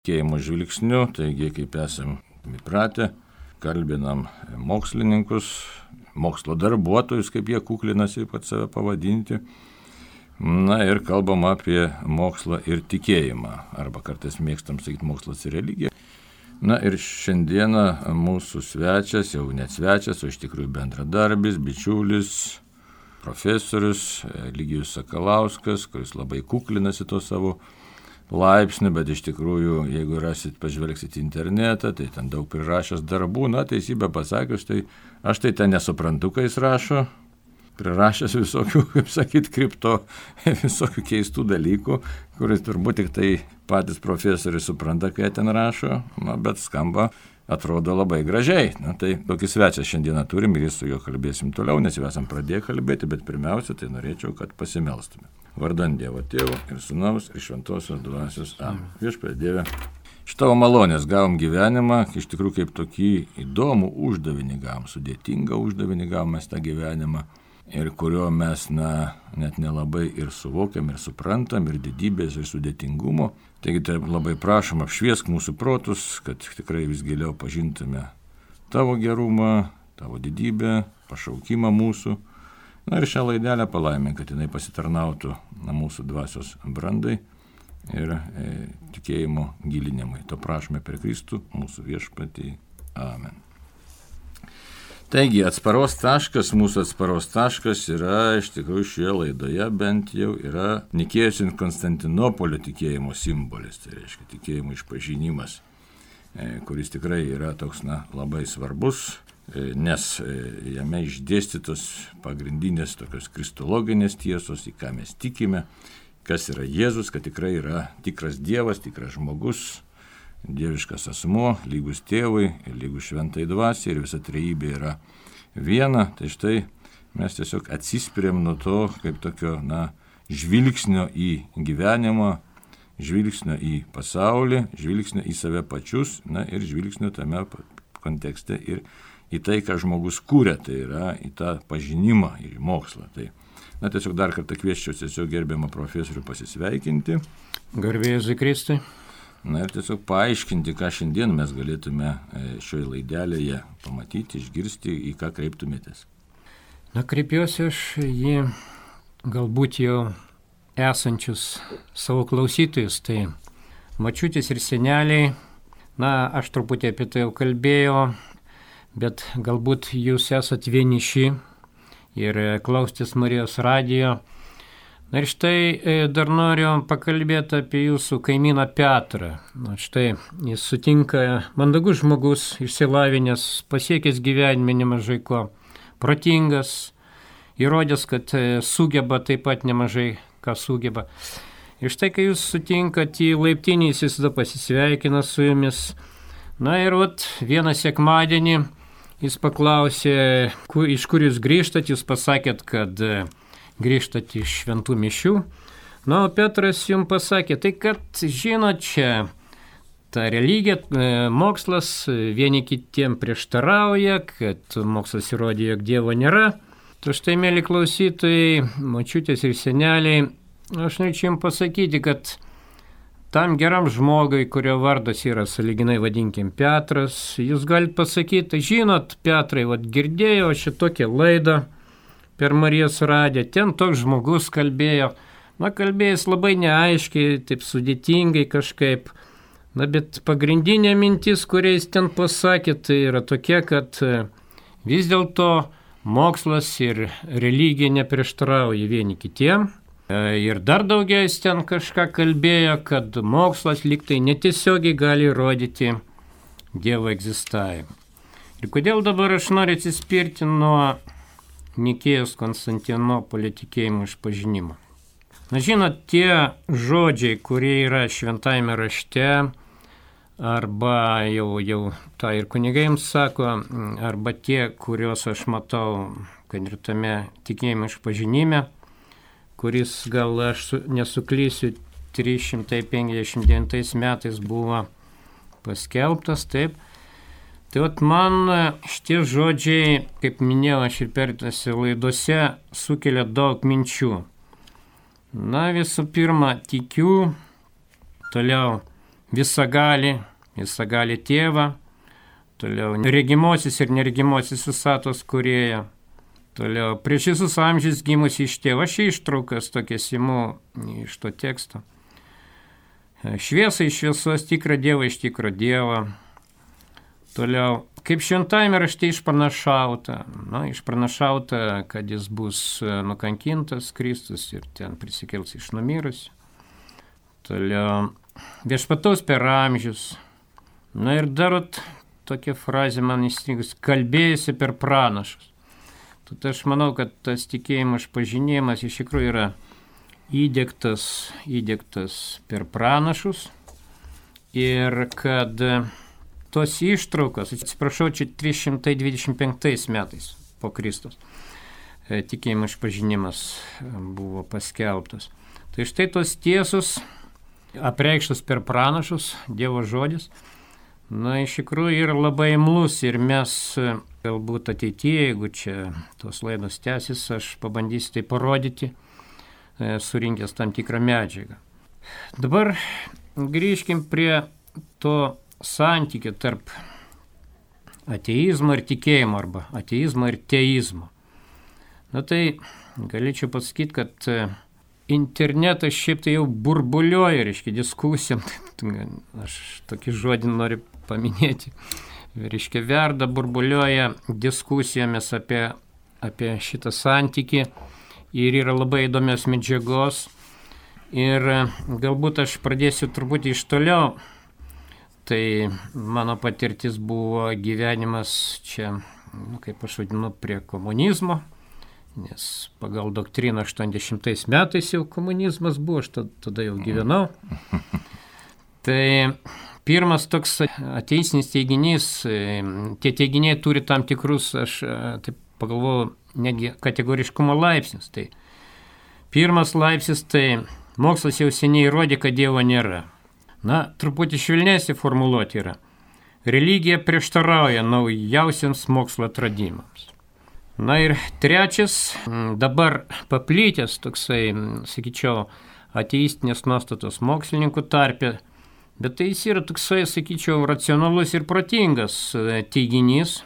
tikėjimo žvilgsniu, taigi kaip esam įpratę, kalbinam mokslininkus, mokslo darbuotojus, kaip jie kuklinasi pat save pavadinti. Na ir kalbam apie mokslą ir tikėjimą, arba kartais mėgstam sakyti mokslas ir religija. Na ir šiandieną mūsų svečias, jau net svečias, o iš tikrųjų bendradarbis, bičiulis, profesorius Eligijus Sakalauskas, kuris labai kuklinasi to savo laipsnių, bet iš tikrųjų, jeigu pažvelgsit į internetą, tai ten daug prirašęs darbų, na, teisybę pasakius, tai aš tai ten nesuprantu, kai jis rašo, prirašęs visokių, kaip sakyt, visokių keistų dalykų, kuris turbūt tik tai patys profesoriai supranta, kai ten rašo, na, bet skamba, atrodo labai gražiai. Na, tai tokį svečią šiandieną turim ir su juo kalbėsim toliau, nes jau esam pradėję kalbėti, bet pirmiausia, tai norėčiau, kad pasimelstume. Vardan Dievo Tėvo ir Sūnaus ir Šventosios Dvasios. Amen. Viešpatie Dieve, iš tavo malonės gavom gyvenimą, iš tikrųjų kaip tokį įdomų uždavinį gavom, sudėtingą uždavinį gavom mes tą gyvenimą, ir kurio mes net nelabai ir suvokiam, ir suprantam, ir didybės, ir sudėtingumo. Taigi tai labai prašom, apšviesk mūsų protus, kad tikrai vis giliau pažintume tavo gerumą, tavo didybę, pašaukimą mūsų. Na ir šią laidelę palaimink, kad jinai pasitarnautų mūsų dvasios brandai ir tikėjimo gilinimui. To prašome per Kristų, mūsų viešpatį. Amen. Taigi, mūsų atsparos taškas yra iš tikrųjų šioje laidoje bent jau yra Nikėjos ir Konstantinopolio tikėjimo simbolis, tai reiškia tikėjimo išpažinimas, kuris tikrai yra toks labai svarbus, nes jame išdėstytos pagrindinės tokios kristologinės tiesos, į ką mes tikime, kas yra Jėzus, kad tikrai yra tikras Dievas, tikras žmogus, dieviškas asmuo, lygus tėvui, lygus šventai dvasiai ir visa trejybė yra viena. Tai štai mes tiesiog atsispiriam nuo to, kaip tokio žvilgsnio į gyvenimą, žvilgsnio į pasaulį, žvilgsnio į save pačius, ir žvilgsnio tame kontekste ir į tai, ką žmogus kūrė, tai yra į tą pažinimą ir į mokslą. Tai, tiesiog dar kartą kviesčiau tiesiog gerbiamą profesorių pasisveikinti. Garbė Jėzui Kristui. Ir tiesiog paaiškinti, ką šiandien mes galėtume šioje laidelėje pamatyti, išgirsti, į ką kreiptumėtės. Kreipiuosi aš į galbūt jau esančius savo klausytojus, tai mačiutės ir seneliai. Aš truputį apie tai jau kalbėjau, bet galbūt jūs esat vieniši ir klausotės Marijos radijo. Ir štai dar noriu pakalbėti apie jūsų kaimyną Petrą. Štai jis sutinka mandagus žmogus, išsilavinęs, pasiekęs gyvenime nemažai ko, protingas, įrodęs, kad sugeba taip pat nemažai ką sugeba. Ir štai, kai jūs sutinkat į laiptinį, jis visada pasisveikina su jumis. Ir vieną sekmadienį jis paklausė, iš kur jūs grįžtat, jūs pasakėt, kad grįžtat iš šventų mišių. O Petras jums pasakė, tai kad žinot, čia ta religija, mokslas vieni kitiem prieštarauja, kad mokslas įrodė, jog Dievo nėra. Tai štai, mėly klausytojai, močiutės ir seneliai, aš norėčiau jums pasakyti, kad tam geram žmogui, kurio vardas yra sąlyginai vadinkim Petras, jūs galite pasakyti, žinot, Petrai, girdėjau šitokią laidą per Marijos radiją, ten toks žmogus kalbėjo, kalbėjęs labai neaiškiai, taip sudėtingai kažkaip, bet pagrindinė mintis, kuriais ten pasakė, tai yra tokia, kad vis dėlto mokslas ir religija neprieštarauja vieni kitiem. Ir dar daugiau jis ten kažką kalbėjo, kad mokslas lygtai netiesiogiai gali įrodyti Dievo egzistavimą. Ir kodėl dabar aš noriu atsispirti nuo Nikėjos Konstantinopolio tikėjimo išpažinimo. Žinot, tie žodžiai, kurie yra šventajame rašte, arba jau tą ir kunigai jums sako, arba tie, kuriuos aš matau, kad ir tame tikėjimo išpažinime, kuris gal aš nesuklysiu 359 metais buvo paskelbtas, taip. Tai man šitie žodžiai, kaip minėjau, aš ir pertose laidose sukelia daug minčių. Visų pirma, tikiu, toliau visagalį tėvą, toliau regimosios ir neregimosios visatos kūrėją, toliau prieš visus amžius gimusi iš tėvo. Aš ištraukas tokias imu iš to teksto. Šviesa iš šviesos, tikrą Dievą iš tikro Dievo. Toliau, kaip šventajame rašte išpranašauta, kad jis bus nukankintas Kristus ir ten prisikels iš numirusių. Toliau, viešpataus per amžius. Ir darot tokia frazė man įstrigus, kalbėjusi per pranašus. Tad aš manau, kad tas tikėjimo išpažinėjimas iš tikrųjų yra įdiegtas per pranašus ir kad tos ištraukos, atsiprašau, čia 325 metais po Kristus tikėjimo išpažinimas buvo paskelbtas. Tai štai tos tiesos apreikštos per pranašus, Dievo žodis, iš tikrųjų yra labai imlus ir mes galbūt ateityje, jeigu čia tos laidos tęsis, aš pabandysiu tai parodyti, surinkęs tam tikrą medžiagą. Dabar grįžkim prie to santykio tarp ateizmo ir tikėjimo arba ateizmo ir teizmo. Tai galėčiau pasakyti, kad internetas šiaip tai jau burbuliuoja, reiškia, diskusijom. Aš tokį žodį noriu paminėti. Reiškia, verda, burbuliuoja diskusijomis apie šitą santykį ir yra labai įdomios medžiagos. Ir galbūt aš pradėsiu truputį iš toliau. Tai mano patirtis buvo gyvenimas čia, kaip aš vadinu, prie komunizmo, nes pagal doktriną 80 metais jau komunizmas buvo, aš tada jau gyvenau. Tai pirmas toks ateistinis teiginys, tie teiginiai turi tam tikrus, aš taip pagalvojau, netgi kategoriškumo laipsnius. Tai pirmas laipsnis, tai mokslas jau seniai įrodė, kad Dievo nėra. Truputį švelnesnė formuluotė yra. Religija prieštarauja naujausiams mokslo atradimams. Ir trečias, dabar paplytęs toksai, sakyčiau, ateistinės nuostatos mokslininkų tarpe, bet tai jis yra toksai, sakyčiau, racionalus ir protingas teiginys.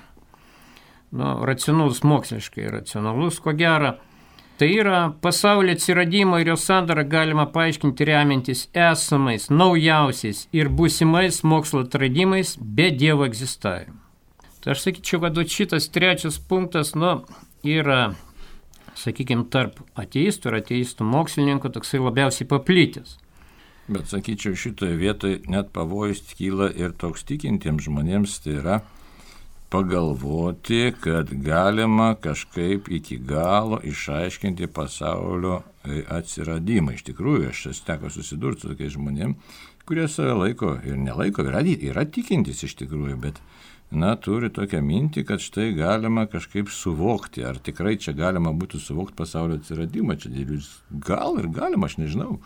Racionalus moksliškai, racionalus, ko gero. Tai yra pasaulio atsiradimo ir jo sandarą galima paaiškinti remiantis esamais, naujausiais ir būsimais mokslo atradimais be Dievo egzistavimo. Tai aš sakyčiau, kad šitas trečias punktas, yra, sakykime, tarp ateistų ir ateistų mokslininkų toksai labiausiai paplitęs. Bet sakyčiau, šitoje vietoje net pavojus kyla ir toks tikintiems žmonėms, tai yra pagalvoti, kad galima kažkaip iki galo išaiškinti pasaulio atsiradimą. Iš tikrųjų, aš teko susidurti su tokiais žmonėms, kurie save laiko ir nelaiko, yra tikintys iš tikrųjų, bet turi tokią mintį, kad štai galima kažkaip suvokti, ar tikrai čia galima būtų suvokti pasaulio atsiradimą, čia gal ir galima, aš nežinau,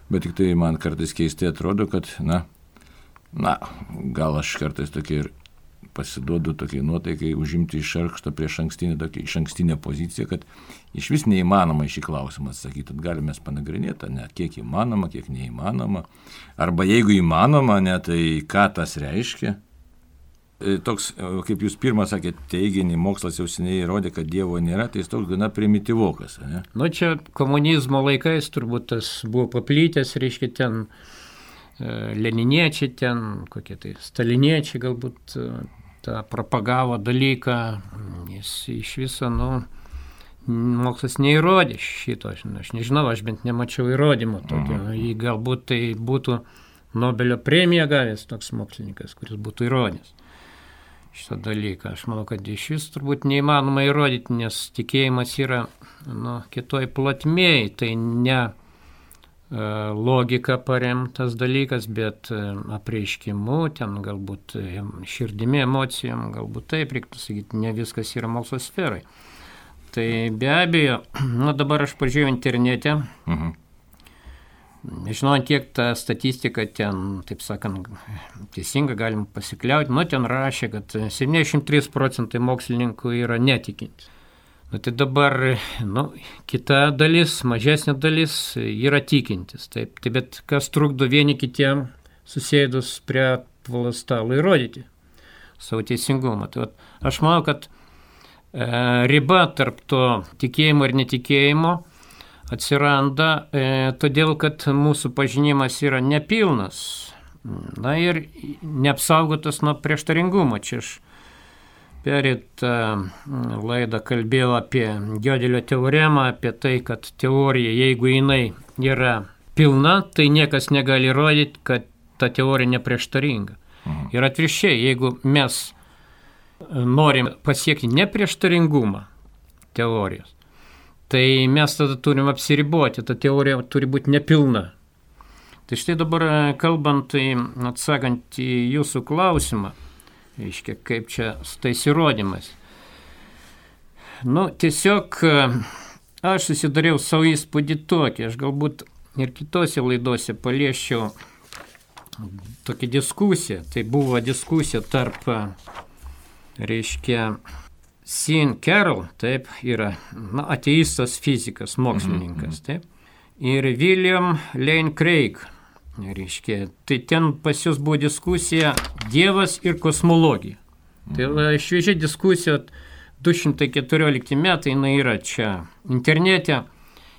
bet tik tai man kartais keistai atrodo, kad gal aš kartais tokia ir pasiduodu tokiai nuotaikai užimti iš ankstinę poziciją, kad iš vis neįmanoma šį klausimą atsakyti. Galime panagrinėti, kiek įmanoma, kiek neįmanoma. Arba jeigu įmanoma, tai ką tas reiškia. Toks, kaip jūs pirmą sakėte, teiginį, mokslas jau seniai įrodė, kad Dievo nėra, tai jis toks gana primityvokas. Čia komunizmo laikais turbūt tas buvo paplytęs, reiškia ten leniniečiai, ten kokie tai staliniečiai galbūt tą propagavo dalyką, jis iš viso, mokslas neįrodė šito, aš nežinau, aš bent nemačiau įrodymo tokio, jį galbūt tai būtų Nobelio premiją gavęs toks mokslininkas, kuris būtų įrodęs šitą dalyką. Aš manau, kad iš vis turbūt neįmanoma įrodyti, nes tikėjimas yra kitoj plotmėj, tai ne logika paremtas dalykas, bet apreiškimu, ten galbūt širdimi, emocijom, galbūt taip reiktų sakyti, ne viskas yra mokslo sferai. Tai be abejo, dabar aš pažiūrėjau internete, nežinau, kiek ta statistika ten, taip sakant, teisinga, galim pasikliauti, ten rašė, kad 73% mokslininkų yra netikintis. Tai dabar, kita dalis, mažesnė dalis yra tikintis. Taip, bet kas trukdo vieni kitiem susėdus prie apvalo stalo įrodyti savo teisingumą. Tai aš manau, kad riba tarp to tikėjimo ir netikėjimo atsiranda todėl, kad mūsų pažinimas yra nepilnas, na ir neapsaugotas nuo prieštaringumo. Čia aš pereitą laidą kalbėjau apie Gödelio teoremą, apie tai, kad teorija, jeigu jinai yra pilna, tai niekas negali įrodyti, kad ta teorija neprieštaringa. Ir atvirkščiai, jeigu mes norim pasiekti neprieštaringumą teorijos, tai mes tada turim apsiriboti, ta teorija turi būti nepilna. Tai štai dabar kalbant, atsakant į jūsų klausimą, reiškia, kaip čia su tais įrodymais. Tiesiog aš susidariau savo įspūdį tokį, aš galbūt ir kitose laidose paliesčiau tokią diskusiją. Tai buvo diskusija tarp, reiškia, Sean Carroll, taip, yra ateistas fizikas, mokslininkas, taip, ir William Lane Craig. Reiškia, tai ten pas jūs buvo diskusija Dievas ir kosmologija. Tai šviežia diskusija 214 metai, jinai yra čia internete.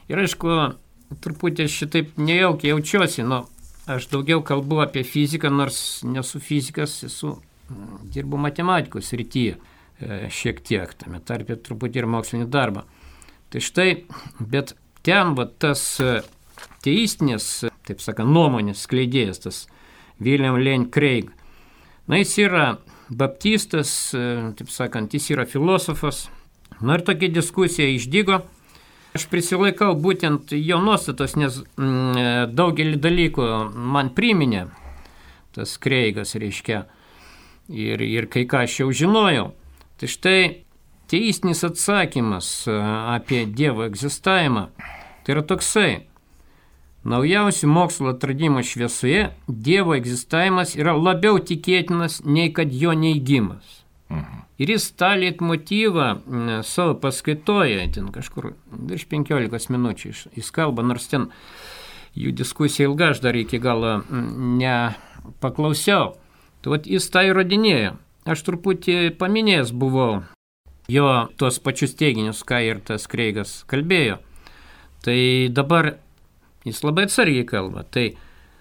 Ir aišku, truputį šitaip nejaukiai jaučiuosi, aš daugiau kalbu apie fiziką, nors nesu fizikas, dirbu matematikos srityje šiek tiek, tame tarpe truputį ir mokslinį darbą. Tai štai, bet ten tas teistinės, taip sakant, nuomonės skleidėjas, tas William Lane Craig. Jis yra baptistas, taip sakant, jis yra filosofas. Ir tokia diskusija išdygo. Aš prisilaikau būtent jo nuostatos, nes daugelį dalykų man priminė tas Craigas, reiškia, ir kai ką aš jau žinojau. Tai štai teistinis atsakymas apie Dievo egzistavimą, tai yra toksai. Naujausių mokslo atradimų šviesoje Dievo egzistavimas yra labiau tikėtinas, nei kad jo neigimas. Ir jis tą leitmotyvą savo paskaitoje, ten kažkur virš 15 minučių jis kalba, nors ten jų diskusija ilga, aš dar iki galo nepaklausiau. Tai jis tą įrodinėjo. Aš truputį paminėjęs buvau jo tuos pačius teiginius, ką ir tas Craigas kalbėjo. Tai dabar jis labai atsargiai kalba. Tai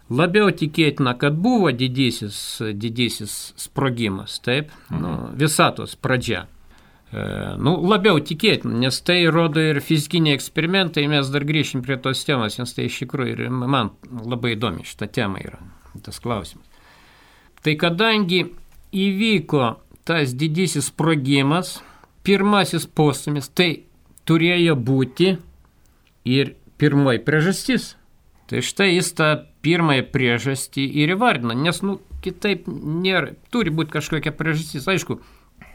labiau tikėtina, kad buvo didysis sprogimas, taip, visatos pradžia. Labiau tikėtina, nes tai rodo ir fizikiniai eksperimentai, mes dar grįšim prie tos temos, nes tai iš tikrųjų ir man labai įdomi šita tema yra, tas klausimas. Tai kadangi įvyko tas didysis sprogimas, pirmasis postūmis, tai turėjo būti ir pirmoji priežastis. Tai štai jis tą pirmąją priežastį ir įvardina, nes kitaip nėra, turi būti kažkokia priežastis. Aišku,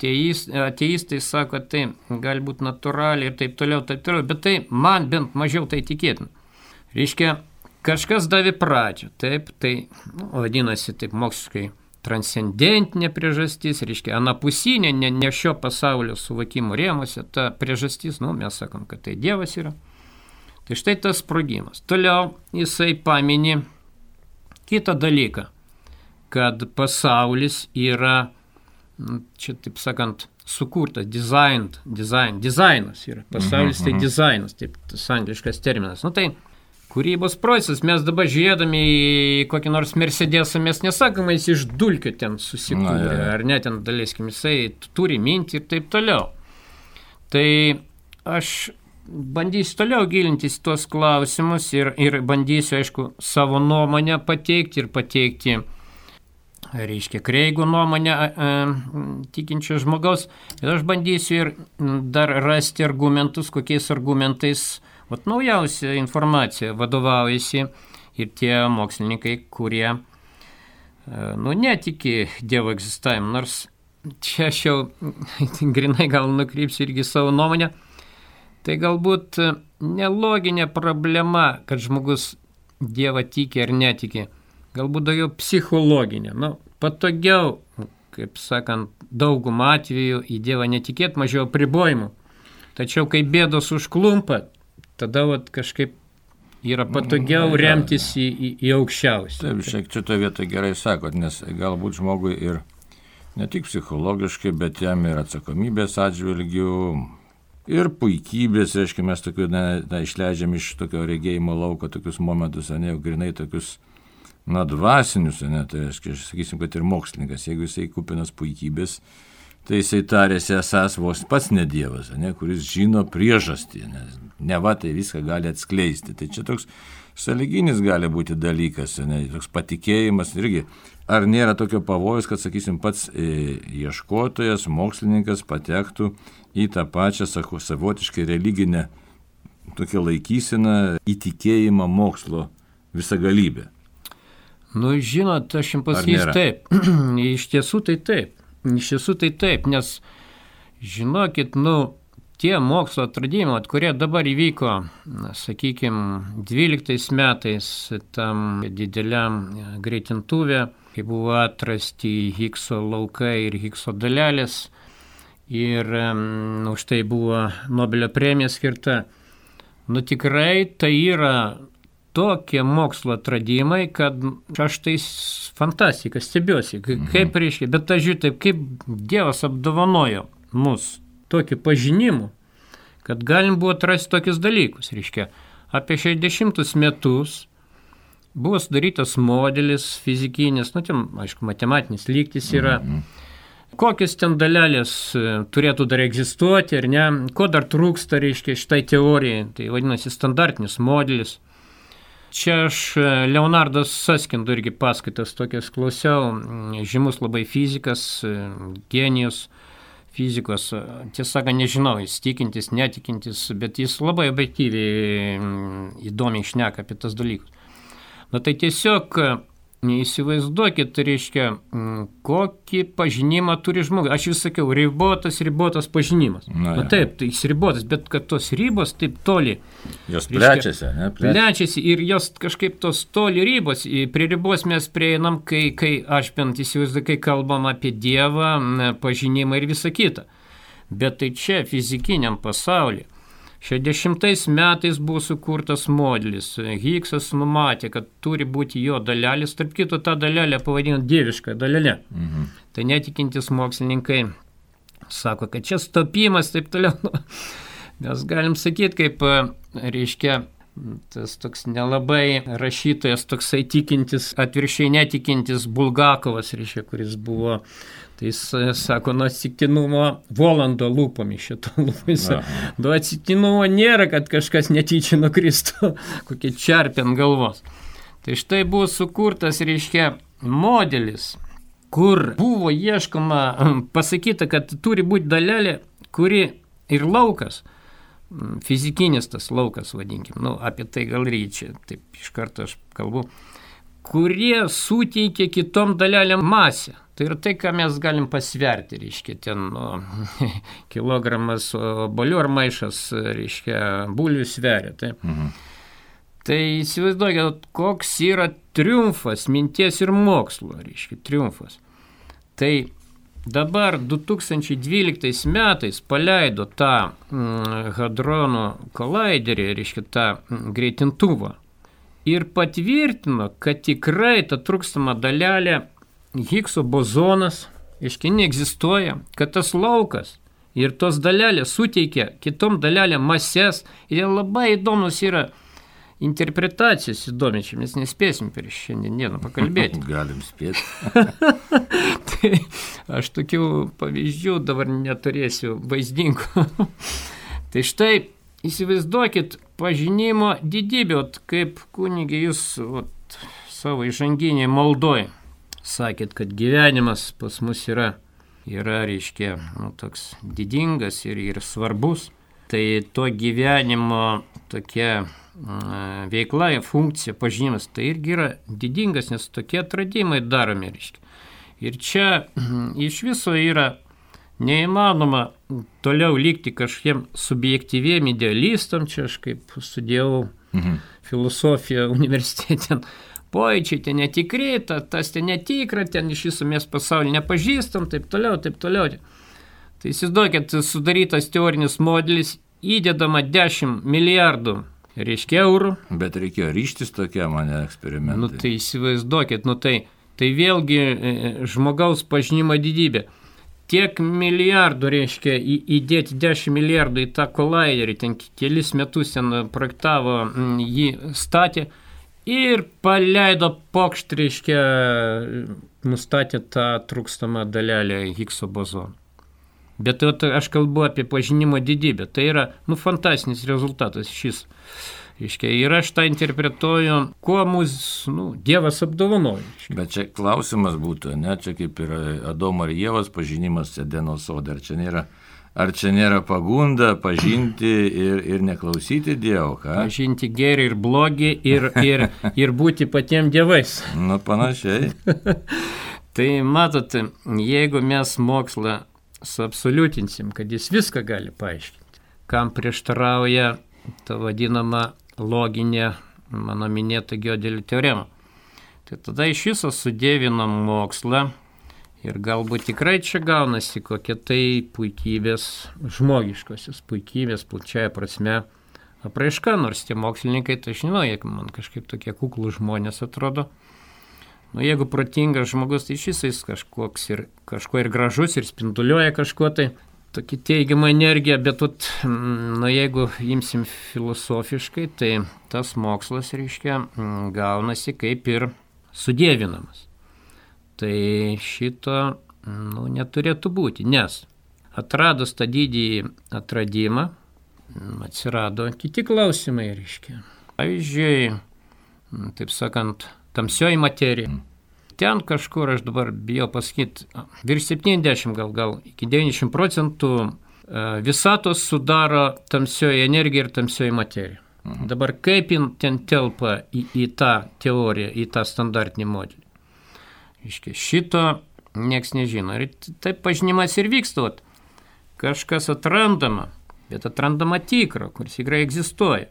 ateistai sako, tai gali būti natūraliai ir taip toliau, bet tai man bent mažiau tai tikėtina. Reiškia, kažkas davė pradžią, taip, tai vadinasi taip moksliškai transcendentinė priežastis, reiškia, anapusinė, ne šio pasaulio suvokimo rėmuose, ta priežastis, mes sakom, kad tai Dievas yra. Tai štai tas sprogimas. Toliau jisai paminė kitą dalyką, kad pasaulis yra, čia taip sakant, sukurtas, dizainas yra. Pasaulis tai dizainas, taip tas angliškas terminas. Tai kūrybos procesas, mes dabar žiūrėdami į kokį nors Mercedesą, mes nesakome, jis iš dulkių ten susikūrė, ar ne, ten daleiskim, jisai turi mintį ir taip toliau. Tai aš bandysiu toliau gilintis tuos klausimus ir bandysiu, aišku, savo nuomonę pateikti ir pateikti, reiškia, Craigo nuomonę tikinčio žmogaus. Ir aš bandysiu ir dar rasti argumentus, kokiais argumentais naujausia informacija vadovaujasi ir tie mokslininkai, kurie netiki Dievo egzistavimu. Nors čia aš jau grinai gal nukrypsiu irgi savo nuomonę. Tai galbūt neloginė problema, kad žmogus Dievą tiki ar netiki. Galbūt daugiau psichologinė. Patogiau, kaip sakant, daugumą atvejų į Dievą netikėt, mažiau apribojimų. Tačiau, kai bėdos užklumpa, tada kažkaip yra patogiau remtis į aukščiausią. Taip, šiek tiek šitoje vietoje gerai sakot, nes galbūt žmogui ir ne tik psichologiškai, bet jam ir atsakomybės atžvilgių, ir puikybės, reiškia, mes tokių, išleidžiam iš tokio regėjimo lauko tokius momentus, jau grinai tokius, dvasinius, tai reiškia, sakysim, kad ir mokslininkas, jeigu jisai kupinas puikybės, tai jisai tarėsi esas vos pats ne dievas, kuris žino priežastį, nes neva tai viską gali atskleisti. Tai čia toks sąlyginis gali būti dalykas, toks patikėjimas irgi. Ar nėra tokio pavojus, kad, sakysim, pats ieškotojas, mokslininkas patektų į tą pačią savotiškai religinę tokią laikyseną, įtikėjimą mokslo visagalybę? Žinot, aš jums pasakysiu taip. Iš tiesų tai taip, nes žinokit, tie mokslo atradimai, kurie dabar įvyko, sakykime, 12 metais tam dideliam greitintuvė, kai buvo atrasti Higgso laukai ir Higgso dalelės, ir už tai buvo Nobelio premija skirta. Tikrai tai yra tokie mokslo atradimai, kad aš tai fantastika, stebiuosi, kaip reiškia, bet aš žiūrėjau taip, kaip Dievas apdovanojo mus tokį pažinimu, kad galim buvo atrasti tokius dalykus, reiškia, apie 60 metus buvo sudarytas modelis fizikinis, ten, aišku, matematinis lygtis yra, kokios ten dalelės turėtų dar egzistuoti, ar ne, ko dar trūksta, reiškia, šitai teorijai, tai vadinasi standartinis modelis. Čia aš Leonardas Saskindo irgi paskaitas tokias klausiau, žymus labai fizikas, genijus fizikos, tiesą nežinau, jis tikintis, netikintis, bet jis labai objektyviai įdomiai šneka apie tas dalykus. Tai tiesiog įsivaizduokit, reiškia, kokį pažinimą turi žmogus. Aš vis sakiau, ribotas pažinimas. Taip, tai jis ribotas, bet kad tos ribos taip toli. Jos plečiasi, ne? Plečiasi ir jos kažkaip tos toli ribos. Prie ribos mes prieinam, kai aš bent įsivaizduoju, kai kalbam apie Dievą, pažinimą ir visą kitą. Bet tai čia fizikiniam pasaulyje. 60 metais buvo sukurtas modelis. Higgsas numatė, kad turi būti jo dalelės, tarp kito tą dalelę pavadino dievišką dalelę. Tai netikintis mokslininkai sako, kad čia stopimas, taip toliau. Mes galim sakyti, kaip, reiškia, tas toks nelabai rašytojas, toksai tikintis, atvirkščiai netikintis Bulgakovas, reiškia, kuris buvo. Tai jis sako, atsitiktinumo Volando lūpomis šito lūpais. Atsitiktinumo nėra, kad kažkas netyčia nukristų, kokie čerpė ant galvos. Tai štai buvo sukurtas, reiškia, modelis, kur buvo ieškoma, pasakyta, kad turi būti dalelė, kuri ir laukas, fizikinis tas laukas, vadinkim, apie tai gal ryčia, taip iš karto aš kalbu, kurie suteikia kitom dalelėm masę. Tai yra tai, ką mes galim pasverti, reiškia, ten kilogramas obuolių ar maišas, reiškia, bulvių sveria. Taip. Tai įsivaizduokit, koks yra triumfas minties ir mokslo, reiškia, triumfas. Tai dabar 2012 metais paleido tą hadronų kolaiderį, reiškia, tą greitintuvą ir patvirtino, kad tikrai ta trūkstama dalelė Higgso bozonas, reiškia, neegzistuoja, kad tas laukas ir tos dalelės suteikia kitom dalelėm mases ir labai įdomus yra interpretacijos įdomiai, čia mes nespėsim per šiandieną pakalbėti. Galim spėti. Tai aš tokių pavyzdžių dabar neturėsiu vaizdingų. Tai štai įsivaizduokit pažinimo didybę, kaip kunigė jūs savo įžanginiai maldoj sakėt, kad gyvenimas pas mus yra reiškia, toks didingas ir svarbus. Tai to gyvenimo tokia veikla, funkcija, pažinimas, tai irgi yra didingas, nes tokie atradimai daromi, reiškia. Ir čia iš viso yra neįmanoma toliau likti kažkiem subjektyviem idealistam, čia aš kaip studijavau filosofiją universitete, pojūčiai ten netikri, tas ten netikra, ten iš viso mes pasaulį nepažįstam, taip toliau, taip toliau. Tai įsivaizduokit, sudarytas teorinis modelis, įdedama 10 milijardų reiškia eurų. Bet reikėjo ryštis tokia mane eksperimentai. Nu tai įsivaizduokit, tai vėlgi žmogaus pažinimo didybė. Tiek milijardų, reiškia, įdėti 10 milijardų į tą kolaiderį, ten kelis metus ten projektavo, jį statė ir paleido pokšt, reiškia, nustatė tą trūkstamą dalelę Higgso bozono. Bet aš kalbu apie pažinimo didybę. Tai yra, fantastinis rezultatas šis. Reiškia, ir aš tą interpretuoju, kuo mūsų, Dievas apdovanojo. Bet čia klausimas būtų, ne, čia kaip ir Adomo ir Ievos pažinimas Edeno sode. Ar čia nėra pagunda pažinti ir neklausyti Dievo, ką? Pažinti gėrį ir blogį ir būti patiems dievais. Panašiai. Tai matote, jeigu mes mokslą suabsoliutinsim, kad jis viską gali paaiškinti, kam prieštarauja ta vadinama loginė, mano minėta Gödelio teorema. Tai tada iš viso sudėvinam mokslą ir galbūt tikrai čia gaunasi kokia tai puikybės, žmogiškosios puikybės, plačiaja prasme apraiška, nors tie mokslininkai, tai aš žinau, jeigu man kažkaip tokie kuklų žmonės atrodo. Jeigu protingas žmogus, tai šis kažko ir gražus, ir spinduliuoja kažko tai, tokį teigiamą energiją, bet jeigu imsim filosofiškai, tai tas mokslas, reiškia, gaunasi kaip ir sudėvinamas. Tai šito, neturėtų būti, nes atradus tą didįjį atradimą, atsirado kiti klausimai, reiškia. Pavyzdžiui, taip sakant, tamsioji materija. Ten kažkur, aš dabar bijau pasakyti, virš 70 gal iki 90% visatos sudaro tamsioji energija ir tamsioji materija. Dabar kaip ten telpa į tą teoriją, į tą standartinį modelį? Iškia, šito nieks nežino. Ir taip pažinimas ir vyksta. Kažkas atrandama, bet atrandama tikro, kuris tikrai egzistuoja.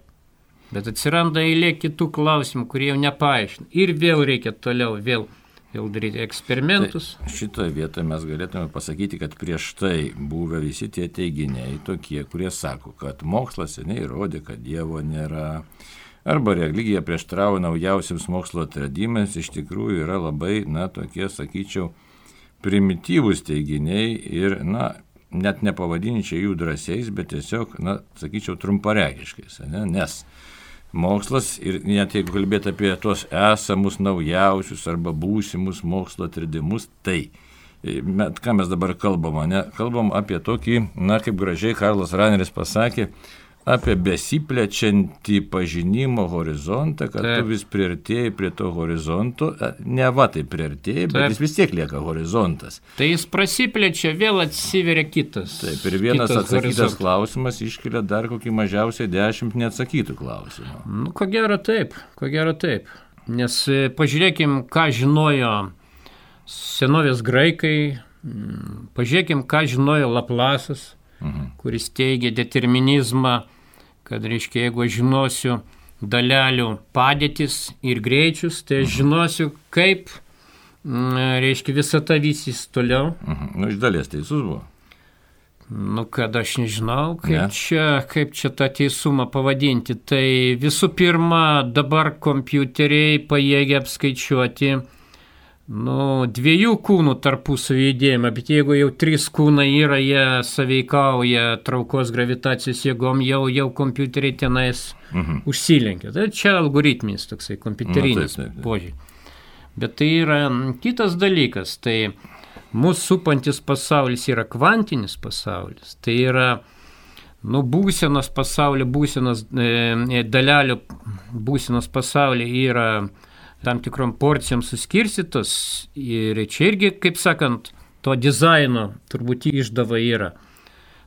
Bet atsiranda eilė kitų klausimų, kurie jau nepaaiškina. Ir vėl reikia toliau vėl daryti eksperimentus. Tai šitoje vietoje mes galėtume pasakyti, kad prieš tai buvę visi tie teiginiai tokie, kurie sako, kad mokslas seniai įrodė, kad Dievo nėra. Arba religija prieštarauja naujausiams mokslo atradimams, iš tikrųjų yra labai, tokie, sakyčiau, primityvūs teiginiai ir, net nepavadinčiau jų drąsiais, bet tiesiog, sakyčiau, trumparegiškais, nes mokslas, ir net jeigu kalbėti apie tuos esamus naujausius arba būsimus mokslo atradimus, tai ką mes dabar kalbam, kalbam apie tokį, kaip gražiai Karlas Raneris pasakė, apie besiplečiantį pažinimo horizontą, kad tu vis priartėjai prie to horizonto, tai priartėjai, bet jis vis tiek lieka horizontas. Tai jis prasiplečia, vėl atsiveria kitas. Taip, ir vienas atsakytas klausimas iškelia dar kokį mažiausiai 10 neatsakytų klausimų. Ko gero taip. Nes pažiūrėkim, ką žinojo senovės graikai, pažiūrėkim, ką žinojo Laplasas, kuris teigia determinizmą, kad, reiškia, jeigu aš žinosiu dalelių padėtis ir greičius, tai aš žinosiu, kaip, reiškia, visata vysys toliau. Iš dalies teisus buvo. Kad aš nežinau, kaip čia tą teisumą pavadinti. Tai visų pirma, dabar kompiuteriai pajėgia apskaičiuoti dviejų kūnų tarpusavio judėjimą, bet jeigu jau 3 kūnai yra, jie sąveikauja traukos gravitacijos jėgom, jau kompiuteriai tenais užsilenkia. Tai čia algoritminis toksai kompiuterinis požiūris. Bet tai yra kitas dalykas, tai mūsų supantis pasaulis yra kvantinis pasaulis, tai yra būsenos pasaulio, dalelių būsenos pasaulyje yra tam tikrom porcijom suskirstytos ir čia irgi, kaip sakant, to dizaino turbūt išdava yra.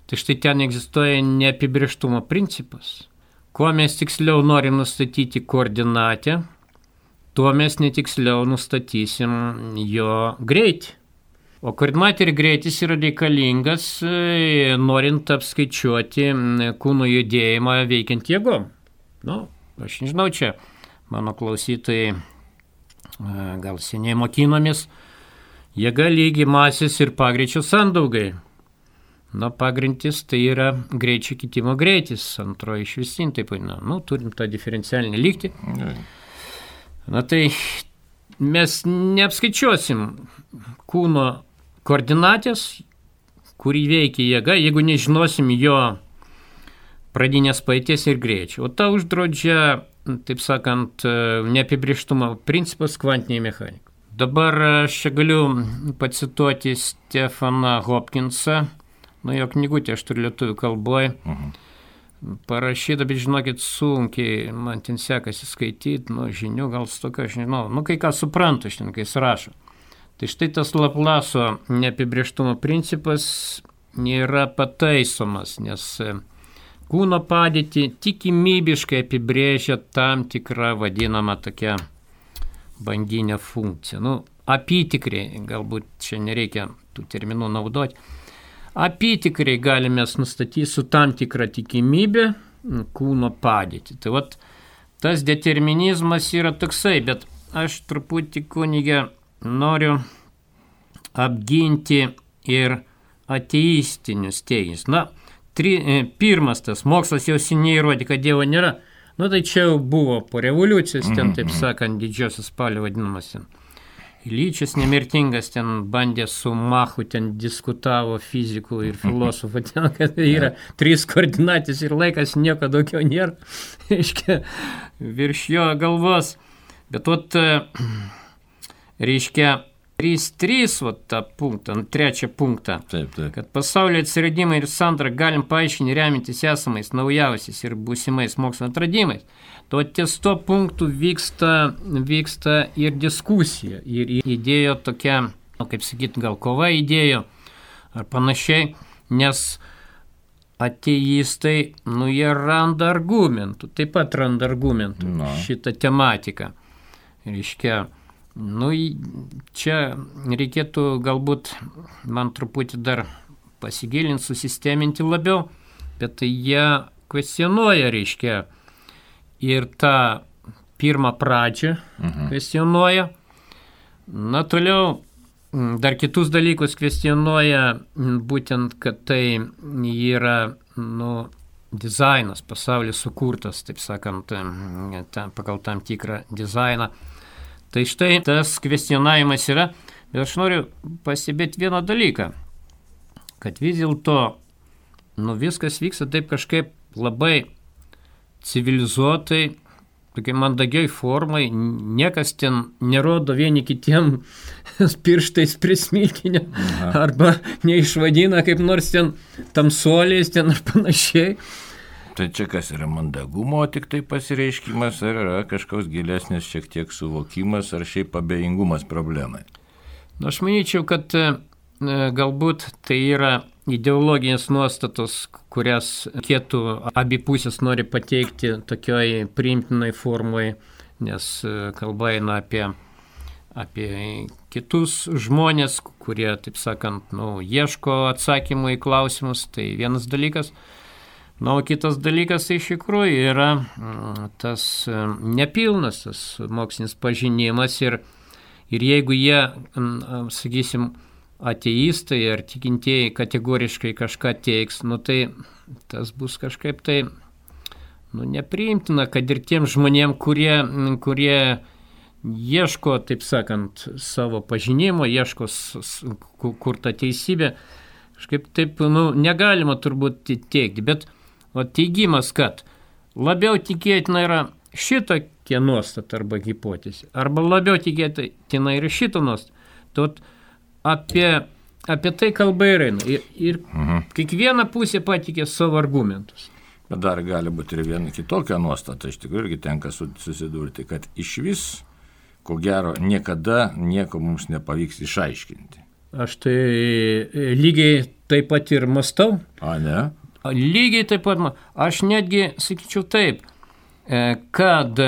Tai štai ten egzistuoja neapibrėžtumo principas. Kuo mes tiksliau norim nustatyti koordinatę, tuo mes netiksliau nustatysim jo greitį. O koordinatė ir greitis yra reikalingas, norint apskaičiuoti kūno judėjimą veikiant jėgom. Aš nežinau, čia mano klausytojai gal seniai mokinomės, jėga lygi masės ir pagreičio sandaugai. Pagrintis tai yra greičio kitimo greitis, antroji išvestinė, taip vadinama. Turim tą diferencialinį lygtį. Tai mes neapskaičiuosim kūno koordinatės, kurį veikia jėga, jeigu nežinosim jo pradinės paėties ir greičio. O tą uždraudžia, taip sakant, neapibrėžtumo principas kvantiniai mechanikai. Dabar aš čia galiu pacituoti Stefaną Hopkinsą, jo knygutę aš turiu lietuvių kalboje, parašyta, bet žinokit, sunkiai man ten sekasi skaityti, žinių gal stokio, aš nežinau, kai ką suprantu šiandien, kai jis rašo. Tai štai tas Laplaso neapibrėžtumo principas nėra pataisomas, nes kūno padėtį tikimybiškai apibrėžia tam tikrą vadinamą tokią banginę funkciją. Apytikriai, galbūt čia nereikia tų terminų naudoti, apytikriai galime nustatyti su tam tikrą tikimybę kūno padėtį. Tai tas determinizmas yra toksai, bet aš truputį kunige noriu apginti ir ateistinius teiginius. Pirmas tas mokslas jau seniai įrodė, kad Dievo nėra. Tai čia jau buvo po revoliucijos, ten, taip sakant, didžiosios spalio vadinamas ten. Lyčias nemirtingas ten bandė su Machu, ten diskutavo fizikų ir filosofų, ten, kad yra 3 koordinatės ir laikas, nieko daugiau nėra, reiškia, virš jo galvos. Bet reiškia, 3.3, tą punktą, trečią punktą, taip. Kad pasaulio atsiradimą ir sandarą galim paaiškinti remintis esamais, naujausiais ir būsimais mokslo atradimais. Ties to punktų vyksta ir diskusija, ir idėjo tokia, kaip sakyti, gal kova idėjo, ar panašiai, nes ateistai, jie randa argumentų, taip pat randa argumentų šitą tematiką. Reiškia, čia reikėtų galbūt man truputį dar pasigilinti, susisteminti labiau, bet tai jie kvestionuoja, reiškia, ir tą pirmą pradžią kvestionuoja. Toliau dar kitus dalykus kvestionuoja, būtent, kad tai yra, dizainas, pasaulis sukurtas, taip sakant, pagal tam tikrą dizainą. Tai štai tas kvestionavimas yra, bet aš noriu pastebėti vieną dalyką, kad vis dėlto viskas vyksta taip kažkaip labai civilizuotai, tokiai mandagiai formai, niekas ten nerodo vieni kitiem pirštais prismilkinę arba neišvadina kaip nors ten tamsuoliais ten ar panašiai. Tai čia kas yra mandagumo tik tai pasireiškimas, ar yra kažkoks gilesnis šiek tiek suvokimas, ar šiaip abejingumas problemai? Aš manyčiau, kad galbūt tai yra ideologinės nuostatos, kurias reikėtų abi pusės nori pateikti tokioj priimtinai formai, nes kalba eina apie kitus žmonės, kurie, taip sakant, ieško atsakymų į klausimus, tai vienas dalykas. O kitas dalykas tai iš tikrųjų yra tas nepilnas, tas mokslinis pažinimas ir jeigu jie, sakysim, ateistai ar tikintieji kategoriškai kažką teiks, tai tas bus kažkaip tai nepriimtina, kad ir tiem žmonėm, kurie ieško, taip sakant, savo pažinimo, ieško kur ta teisybė, kažkaip taip, negalima turbūt teikti, bet teigimas, kad labiau tikėtina yra šitokia nuostata arba hipotezė, arba labiau tikėtina yra šito nuostata, apie tai kalba ir eina. Ir kiekviena pusė patikė savo argumentus. Bet dar gali būti ir viena kitokia nuostata, iš tikrųjų irgi tenka susidurti, kad iš vis, ko gero, niekada nieko mums nepavyks išaiškinti. Aš tai lygiai taip pat ir mąstau. Ne? Lygiai taip pat, aš netgi sakyčiau taip, kad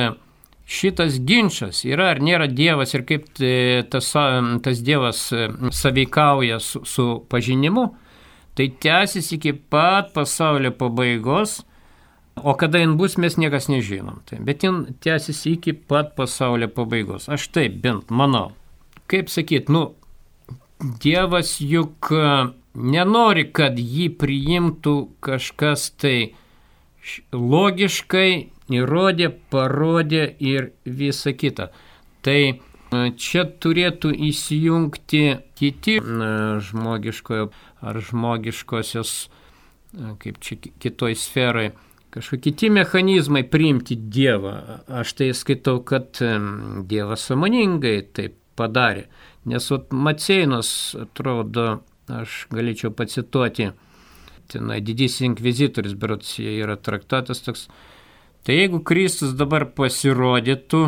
šitas ginčas yra ar nėra Dievas ir kaip tas Dievas sąveikauja su pažinimu, tai tęsis iki pat pasaulio pabaigos, o kada jin bus, mes niekas nežinom. Bet jin tęsis iki pat pasaulio pabaigos. Aš taip bent manau. Kaip sakyt, Dievas juk nenori, kad jį priimtų kažkas tai logiškai, įrodė, parodė ir visa kita. Tai čia turėtų įsijungti kiti žmogiškojo ar žmogiškosios, kaip čia kitoj sferai, kažkokie kiti mechanizmai priimti Dievą. Aš tai skaitau, kad Dievas sąmoningai taip padarė. Nes Maceinos, atrodo, aš galėčiau pacituoti, tenai didysis inkvizitorius, berods yra traktatas toks. Tai jeigu Kristus dabar pasirodytų,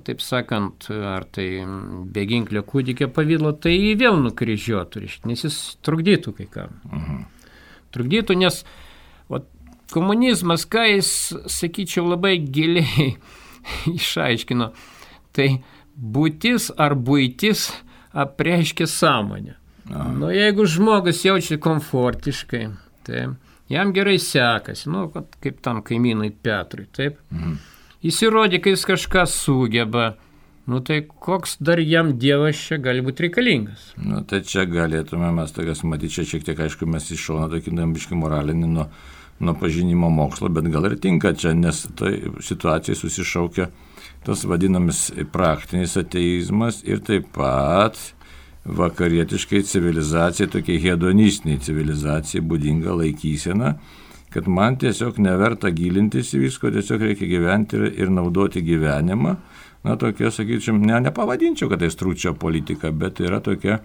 taip sakant, ar tai beginklio kūdikio pavidalo, tai jį vėl nukryžiuotų, nes jis trukdytų kai kam. Trukdytų, nes komunizmas, ką jis, sakyčiau, labai giliai išaiškino, tai būtis ar buitis apreiškia sąmonę. Jeigu žmogus jaučiasi komfortiškai, tai jam gerai sekasi, kaip tam kaimynui Petrui, taip. Jis įrodė, kad jis kažką sugeba, tai koks dar jam Dievas čia gali būti reikalingas? Tai čia galėtume mes tokias matyti, čia šiek tiek, aišku, mes iš šono tokį biškį moralinį nuo pažinimo mokslo, bet gal ir tinka čia, nes tai situacijai susišaukia tas vadinamas praktinis ateizmas ir taip pat vakarietiškai civilizacijai, tokiai hedonistiniai civilizacijai būdinga laikysena, kad man tiesiog neverta gilintis į visko, tiesiog reikia gyventi ir naudoti gyvenimą. Tokia, sakyčiau, nepavadinčiau, kad tai stručio politika, bet yra tokia,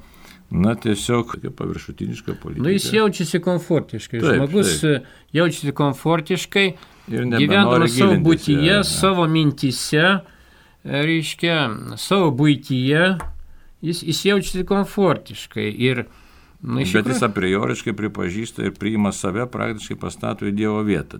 tiesiog tokia paviršutiniška politika. Jis jaučiasi komfortiškai. Taip, žmogus jaučiasi komfortiškai, gyvendamas savo būtyje, savo mintyse, reiškia, savo būtyje, jis jaučiasi komfortiškai ir bet jis aprioriškai pripažįsta ir priima save, praktiškai pastato į Dievo vietą.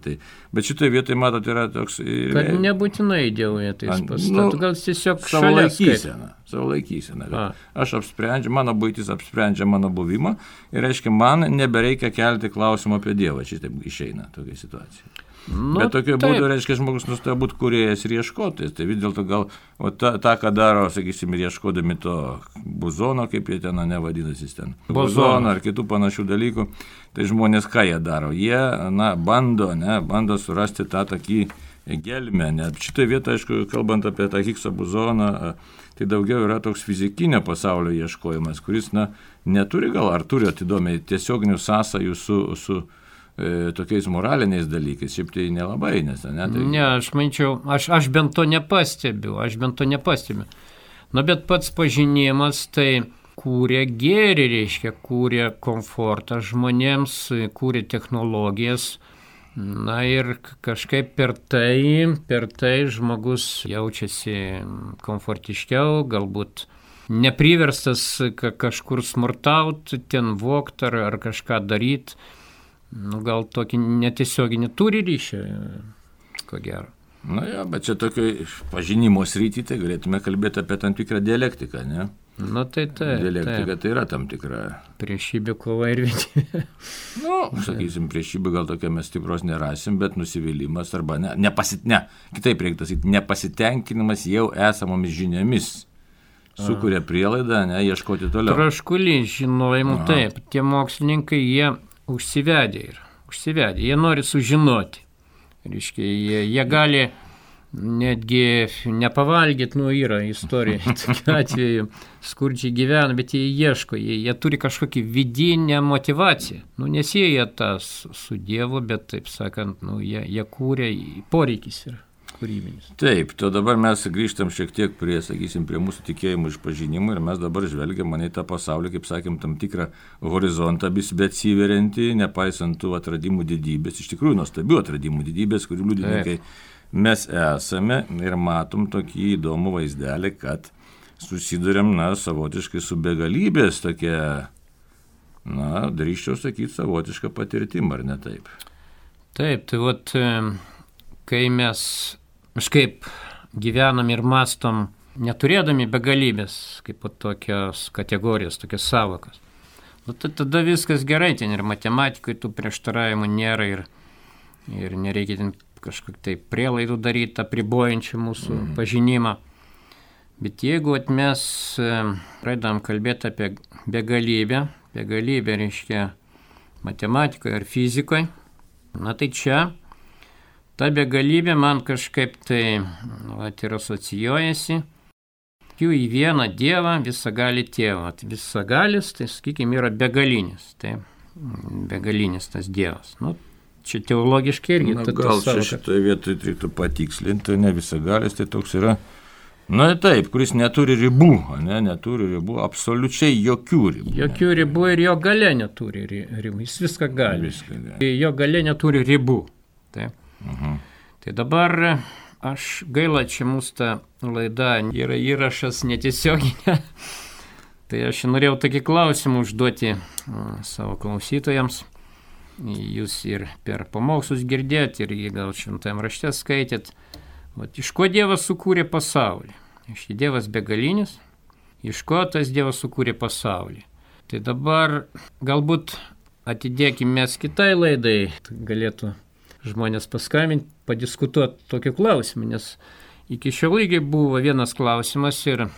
Bet šitoje vietoje, matot, yra toks... Kad nebūtinai Dievo vietą jis pastato, gal tiesiog šalia savo laikysena. Aš apsprendžiu, mano buitis apsprendžia mano buvimą ir, reiškia, man nebereikia kelti klausimą apie Dievą. Šitaip išeina tokia situacija. Bet tokiu būdu, reiškia, žmogus nustoja būti kūrėjas ir ieškotojas. Tai vis dėlto gal tą, ką daro, sakysim, ir ieškodami to buzono, kaip jie ten nevadinasi ten, buzono ar kitų panašių dalykų, tai žmonės ką jie daro? Jie, bando surasti tą tokį gelmę. Šitoje vietoje, aišku, kalbant apie tą Higgso buzoną, tai daugiau yra toks fizikinio pasaulio ieškojimas, kuris, neturi gal, ar turi atidomiai tiesioginių sąsajų su tokiais moraliniais dalykais, šiaip tai nelabai, nes tai... Ne, aš manyčiau, aš bent to nepastebiu, bet pats pažinimas tai kūrė gėrį, reiškia, kūrė komfortą žmonėms, kūrė technologijas, ir kažkaip per tai žmogus jaučiasi komfortiškiau, galbūt nepriverstas kažkur smurtauti, ten vogt ar kažką daryti. Gal tokį netiesioginį turi ryšį, ko gero. Bet čia tokio pažinimo srity, tai galėtume kalbėti apie tam tikrą dialektiką, ne? Tai dialektika tai yra tam tikra. Priešybė, kova ir vienybė. Sakysim, priešybė gal tokia mes stipros nerasim, bet nusivylimas arba kitaip reiktų sakyti, nepasitenkinimas jau esamomis žiniomis sukuria prielaidą, ieškoti toliau. Troškulys žinojimų, taip, tie mokslininkai, jie užsivedė, jie nori sužinoti. Reiškia, jie gali netgi nepavalgyti, yra istorija, tokiu atveju skurdžiai gyvena, bet jie ieško, jie turi kažkokį vidinę motivaciją. Nesieja tą su Dievu, bet, taip sakant, jie kūrė, poreikis yra kūrybinis. Taip, to dabar mes grįžtam šiek tiek prie mūsų tikėjimų išpažinimų ir mes dabar žvelgiam į tą pasaulį, kaip sakėm, tam tikrą horizontą besiveriantį, nepaisant tų atradimų didybės, iš tikrųjų nuostabių atradimų didybės, kurių liudininkai mes esame ir matom tokį įdomų vaizdelį, kad susiduriam, savotiškai su begalybės tokia, drįsčiau sakyti, savotiška patirtim, ar ne taip? Taip, tai kai mes kažkaip gyvenam ir mastom, neturėdami begalybės, kaip tokios kategorijos, tokios savokas. Tada viskas gerai, ten ir matematikoje tų prieštaravimų nėra ir nereikia ten kažkokių tai prielaidų daryti, apribojančių mūsų pažinimą. Bet jeigu mes pradedam kalbėti apie begalybę, begalybė, reiškia, matematikoje ar fizikoje. Na tai čia ta begalybė man kažkaip tai ir asocijuojasi jų į vieną Dievą, visagalį tėvą. Visagalis, tai sakykime, yra begalinis. Tai begalinis tas Dievas. Nu, čia teologiškai irgi. Gal čia šitoje vietoje reiktų patikslinti, ne visagalis, tai toks yra, na taip, kuris neturi ribų, neturi ribų, absoliučiai jokių ribų. Jokių ribų ir jo galia neturi ribų, jis viską gali. Jo galia neturi ribų. Taip. Tai dabar aš gaila, čia mūsų ta laida yra įrašas netiesioginė. Tai aš norėjau tokį klausimą užduoti savo klausytojams. Jūs ir per pamokslus girdėt, ir jį gal šventajame rašte skaitėt. Vat, iš ko Dievas sukūrė pasaulį? Iš Dievas begalinis, iš ko tas Dievas sukūrė pasaulį? Tai dabar galbūt atidėkime mes kitai laidai, galėtų žmonės paskambinti, padiskutuoti tokiu klausimu, nes iki šiol lygiai buvo vienas klausimas ir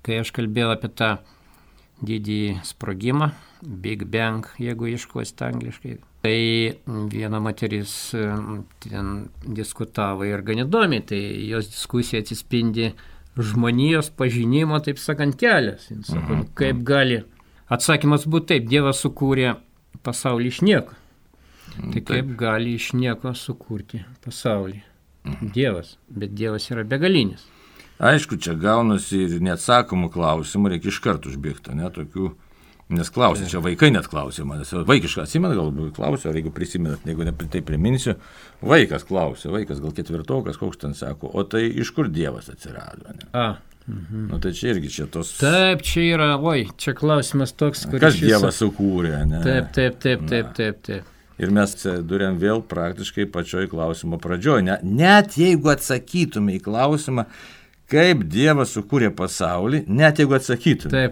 kai aš kalbėjau apie tą didįjį sprogimą, Big Bang, jeigu ieškosite angliškai, tai viena moteris ten diskutavo ir gan įdomiai, tai jos diskusija atsispindi žmonijos pažinimo, taip sakant, kelias. Jis sako, kaip gali, atsakymas būtų taip, Dievas sukūrė pasaulį iš nieko. Tai kaip gali iš nieko sukurti pasaulį? Dievas, bet Dievas yra begalinis. Aišku, čia gaunasi ir neatsakomų klausimų, reikia iš karto užbėgti, tokių, nes klausė, čia vaikai net klausė manęs, vaikišką atsimena, galbūt klausė, ar jeigu prisimenat, jeigu ne tai priminsiu, vaikas klausė, vaikas gal ketvirtokas, koks ten sako, o tai iš kur Dievas atsirado? Nu tai čia irgi čia tos... Taip, čia yra, čia klausimas toks, kuris... Kas Dievas sukūrė, ne? Taip. Ir mes durėm vėl praktiškai pačioj klausimo pradžioj. Net jeigu atsakytume į klausimą, kaip Dievas sukūrė pasaulį, net jeigu atsakytume,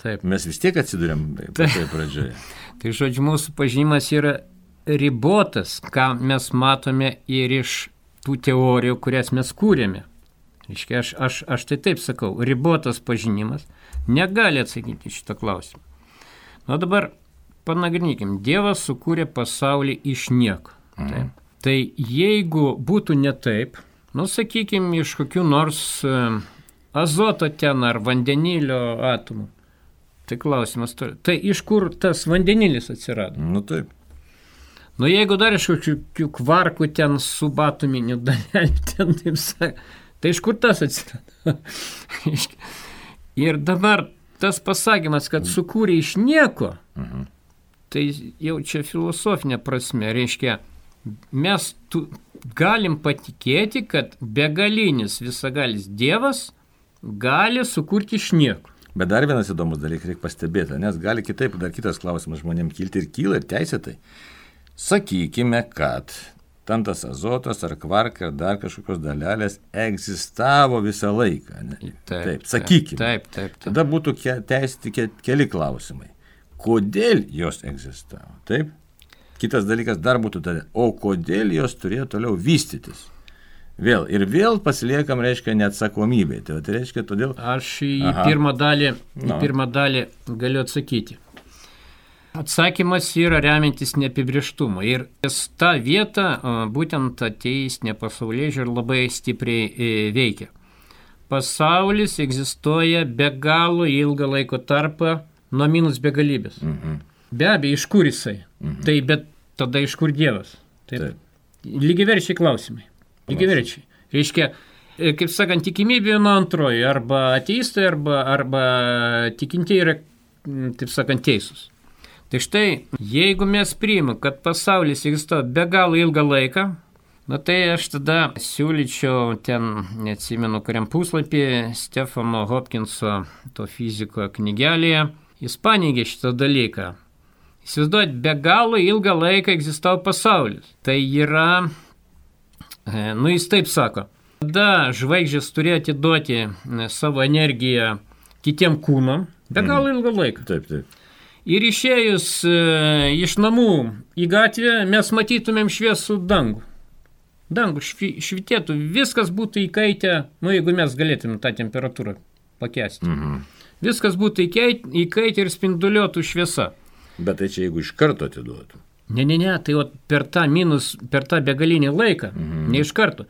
taip. Mes vis tiek atsidurėm pačioj pradžioje. Tai žodžiu, mūsų pažinimas yra ribotas, ką mes matome ir iš tų teorijų, kurias mes kūrėme. Reiškia, aš tai taip sakau, ribotas pažinimas negali atsakyti šitą klausimą. Nu dabar panagrinėkim, Dievas sukūrė pasaulį iš nieko. Taip. Tai jeigu būtų ne taip, sakykime, iš kokių nors azoto ten ar vandenilio atomų, tai klausimas, tai iš kur tas vandenilis atsirado? Nu taip. Jeigu dar iš kokių kvarkų ten subatominių dalelių, ten taip sakė, tai iš kur tas atsirado? Ir dabar tas pasakymas, kad sukūrė iš nieko, tai jau čia filosofinė prasme, reiškia, mes galim patikėti, kad begalinis visagalis Dievas gali sukurti iš nieko. Bet dar vienas įdomus dalykas reikia pastebėti, nes gali kitaip, dar kitas klausimas žmonėms kilti ir kyla ir teisėtai. Sakykime, kad ten tas azotas ar kvarka ar dar kažkokios dalelės egzistavo visą laiką. Ne? Taip, sakykime. Taip. Tada būtų teisėti keli klausimai. Kodėl jos egzistavo? Taip? Kitas dalykas dar būtų tada, o kodėl jos turėjo toliau vystytis? Vėl pasiliekam, reiškia, neatsakomybė. Tai reiškia, todėl... Aš į pirmą dalį galiu atsakyti. Atsakymas yra remiantis neapibrėžtumu. Ir ta vieta, būtent ateistinė pasaulėžiūra labai stipriai veikia. Pasaulis egzistuoja be galo ilgą laiko tarpą nuo minus begalybės. Be abejo, iš kur jisai? Tai bet tada iš kur Dievas? Taip. Lygiaverčiai klausimai. Lygiaverčiai. Reiškia, kaip sakant, tikimybė nuo antrojo, arba ateistai, arba tikintieji yra, taip sakant, teisūs. Tai štai, jeigu mes priimame, kad pasaulis egzistuoja be galo ilgą laiką, tai aš tada siūlyčiau ten, neatsimenu, kuriam puslapį, Stefano Hopkinso, to fiziko knygelėje, jis paneigė šitą dalyką. Įsivaizduojat, be galo ilgą laiką egzistavo pasaulis. Tai yra, jis taip sako, tada žvaigždės turėjo atiduoti savo energiją kitiem kūnam, be galo ilgą laiką. Taip. Ir išėjus iš namų į gatvę mes matytumėm šviesų dangų. Dangų švitėtų, viskas būtų įkaitę, jeigu mes galėtume tą temperatūrą pakęsti. Viskas būtų įkaitę ir spinduliuotų šviesa. Bet tai čia jeigu iš karto atiduotų. Ne, tai per tą begalinį laiką, ne iš karto.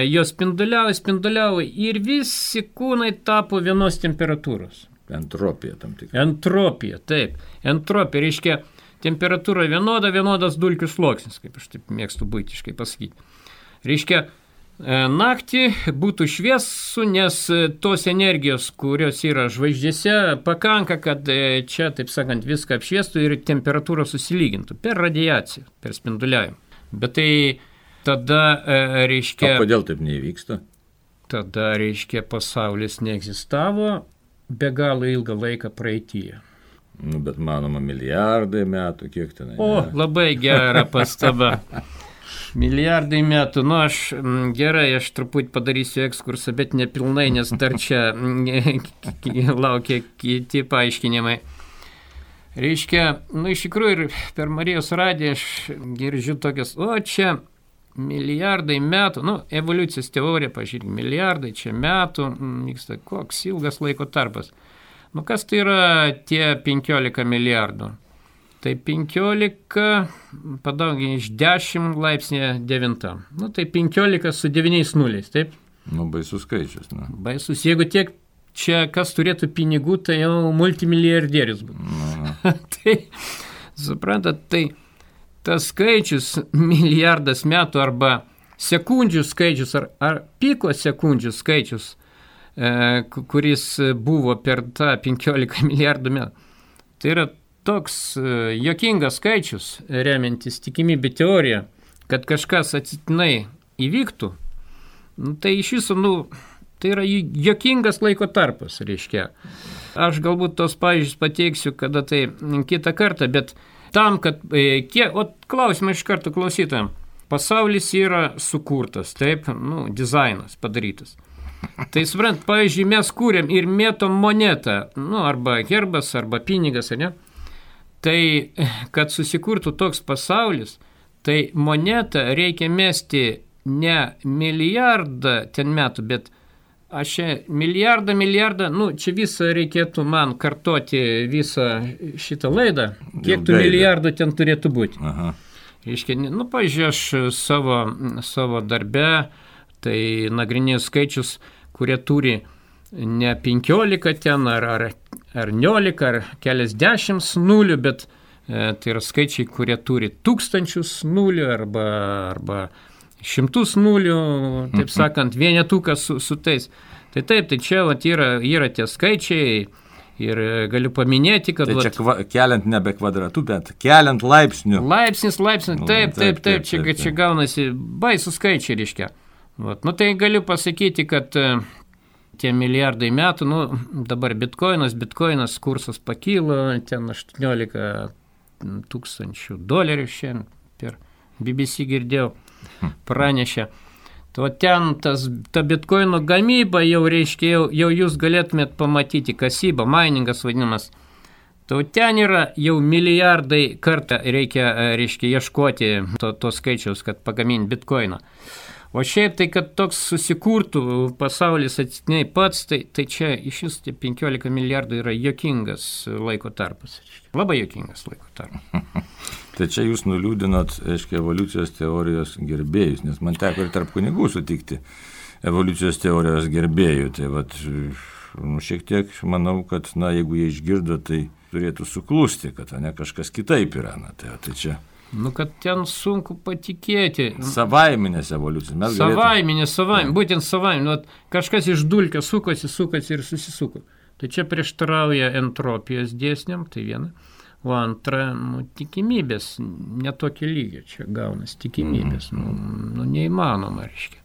Jos spinduliavo ir visi kūnai tapo vienos temperatūros. Entropija tam tikra. Entropija, taip. Entropija reiškia temperatūra vienodas dulkių sluoksnis, kaip aš taip mėgstu buitiškai pasakyti. Reiškia, naktį būtų šviesu, nes tos energijos, kurios yra žvaigždėse, pakanka, kad čia, taip sakant, viską apšviestų ir temperatūra susilygintų per radiaciją, per spinduliavimą. Bet tai tada reiškia... O kodėl taip neįvyksta? Tada reiškia, pasaulis neegzistavo be galo ilgą laiką praeityje. Bet manoma milijardai metų, kiek tenai? Labai gera pastaba. Milijardai metų, aš truputį padarysiu ekskursą, bet nepilnai, nes dar čia laukia kiti paaiškinimai. Reiškia, iš tikrųjų ir per Marijos radiją aš girdžiu tokias, čia milijardai metų, evoliucijos teorija, pažiūrėk, milijardai čia metų, vyksta koks ilgas laiko tarpas. Kas tai yra tie 15 milijardų? Tai 15 padauginti iš 10 laipsnė 9. Tai 15 su 9 nuliais, taip? Baisus skaičius. Baisus. Jeigu tiek čia kas turėtų pinigų, tai jau multimilijardierius būtų. Tai, suprantat, tai tas skaičius, milijardas metų arba sekundžių skaičius ar piko sekundžių skaičius, kuris buvo per tą 15 milijardų metų, tai yra toks juokingas skaičius, remiantis tikimybių teoriją, kad kažkas atsitiktinai įvyktų, tai iš viso, tai yra juokingas laiko tarpas, reiškia. Aš galbūt tos pavyzdžius pateiksiu, kada tai kitą kartą, bet tam, kad klausimą iš karto klausytojams. Pasaulis yra sukurtas, taip, dizainas padarytas. Tai suprant, pavyzdžiui, mes kūrėm ir mėtom monetą, arba herbas, arba pinigas, ne? Tai, kad susikurtų toks pasaulis, tai monetą reikia mesti ne milijardą ten metų, bet aš milijardą, čia visą reikėtų man kartoti visą šitą laidą, kiek tų milijardų ten turėtų būti. Aha. Reiškia, pavyzdžiui, aš savo darbe, tai nagrinėjau skaičius, kurie turi ne 15 ten, ar 19, ar keliasdešimt nulių, bet tai yra skaičiai, kurie turi tūkstančius nulių, arba šimtus nulių, taip sakant, vienetukas su tais. Tai taip, tai čia yra tie skaičiai ir galiu paminėti, kad... Tai čia keliant nebe kvadratų, bet keliant laipsnių. Laipsnis, taip, čia gaunasi baisų skaičiai, reiškia. Tai galiu pasakyti, kad tie milijardai metų, dabar bitkoinas kursas pakilo, ten 18 tūkstančių dolerių šiandien per BBC girdėjau. Pranešė. To ten ta bitkoino gamyba jau reiškia, jau jūs galėtumėt pamatyti, kasyba, miningas vadinamas. To ten yra jau milijardai kartą reiškia ieškoti to skaičiaus, kad pagaminti bitkoiną. O šiaip tai, kad toks susikurtų pasaulis atsitiktinai pats, tai čia iš vis 15 milijardų yra juokingas laiko tarpas. Labai juokingas laiko tarpas. Tai čia jūs nuliūdinot, evoliucijos teorijos gerbėjus, nes man teko ir tarp kunigų sutikti evoliucijos teorijos gerbėjų. Tai šiek tiek manau, kad jeigu jie išgirdo, tai turėtų suklusti, kad kažkas kitaip yra. Tai čia... kad ten sunku patikėti. Savaiminės evoliucijos. Savaiminės, būtent savaiminės. Kažkas iš dulkio sukosi ir susisuko. Tai čia prieštarauja entropijos dėsniam, tai viena. O antra, tikimybės, netokį lygį čia gaunas tikimybės. Neįmanoma, reiškia.